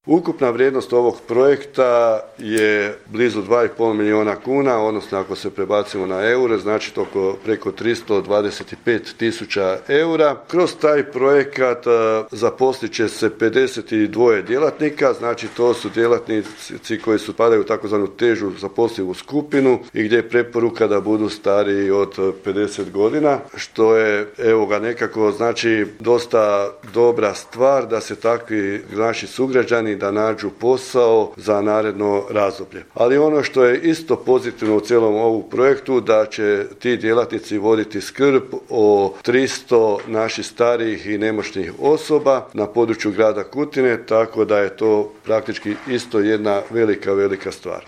Ukupna vrijednost ovog projekta je blizu 2,5 milijuna kuna, odnosno ako se prebacimo na eure, znači to preko 325 tisuća eura. Kroz taj projekat zaposlit će se 52 djelatnika, znači to su djelatnici koji padaju u takozvanu težu zaposlivu skupinu i gdje je preporuka da budu stariji od 50 godina, što je nekako znači dosta dobra stvar da se takvi naši sugrađani da nađu posao za naredno razdoblje. Ali ono što je isto pozitivno u cijelom ovom projektu, da će ti djelatnici voditi skrb o 300 naših starijih i nemoćnih osoba na području grada Kutine, tako da je to praktički isto jedna velika stvar.